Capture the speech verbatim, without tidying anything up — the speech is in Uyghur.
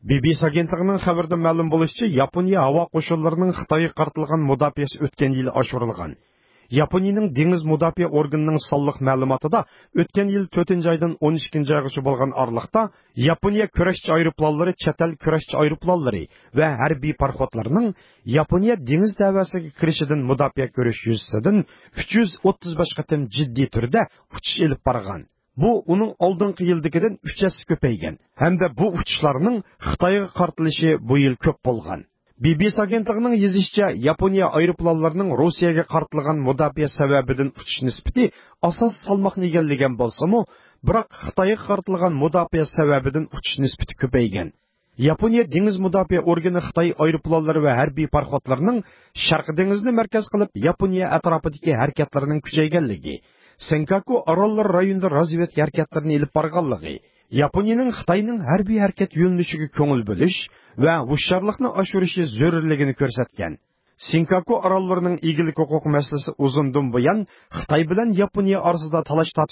بى بى سى ئاگېنتلىقىنىڭ خەۋىرىدە مەلۇم بولۇشىچە، ياپونىيە ھاۋا قوشۇنلىرىنىڭ خىتايغا قارىتىلغان مۇداپىئەسى ئۆتكەن يىلى ئاشۇرۇلغان. ياپونىيىنىڭ دېڭىز مۇداپىئە ئورگىنىنىڭ سانلىق مەلۇماتىدا، ئۆتكەن يىل تۆتىنچى ئايدىن ئون ئىككىنچى ئايغىچە بولغان ئارىلىقتا ياپونىيە كۈرەشچى ئايروپىلانلىرى، چەت ئەل كۈرەشچى ئايروپىلانلىرى ۋە ھەربىي پاراخوتلىرىنىڭ ياپونىيە دېڭىز دەۋەسىگە كىرىشىدىن مۇداپىئە كۆرۈش يۈزىسىدىن ئۈچ يۈز ئوتتۇز بەش قېتىم جىددىي تۈردە ئۇچۇش ئېلىپ بارغان. بۇ ئۇنىڭ ئالدىنقى يىلدىكىدىن ئۈچ ھەسسە كۆپەيگەن ھەمدە بۇ ئۇچۇشلارنىڭ خىتايغا قارىتىلىشى بۇ يىل كۆپ بولغان. بى بى سى ئاگېنتلىقىنىڭ يېزىشىچە، ياپونىيە ئايروپىلانلىرىنىڭ روسىيەگە قارىتىلغان مۇداپىئە سەۋەبىدىن ئۇچۇش نىسبىتى ئاساسىي سالماقنى ئىگىلىگەن بولسىمۇ، بىراق خىتايغا قارىتىلغان مۇداپىئە سەۋەبىدىن ئۇچۇش نىسبىتى كۆپەيگەن. ياپونىيە دېڭىز مۇداپىئە ئورگىنى خىتاي ئايروپىلانلىرى ۋە ھەربىي پاراخوتلىرىنىڭ شەرقىي دېڭىزنى مەركەز قىلىپ ياپونىيە ئەتراپىدىكى ھەرىكەتلىرىنىڭ كۈچەيگەنلىكى، سېنكاكۇ ئاراللىرى رايونىدا رازۋېدكا ھەرىكەتلىرىنى ئېلىپ بارغانلىقى، ياپونىيىنىڭ خىتاينىڭ ھەربىي ھەرىكەت يۆنىلىشىگە كۆڭۈل بۆلۈش ۋە ھوشيارلىقنى ئاشۇرۇشى زۆرۈرلۈكىنى كۆرسەتكەن. سېنكاكۇ ئاراللىرىنىڭ ئىگىلىك ھوقۇقى مەسىلىسى ئۇزۇندىن بۇيان خىتاي بىلەن ياپونىيە ئارىسىدا تالاش-تارتىش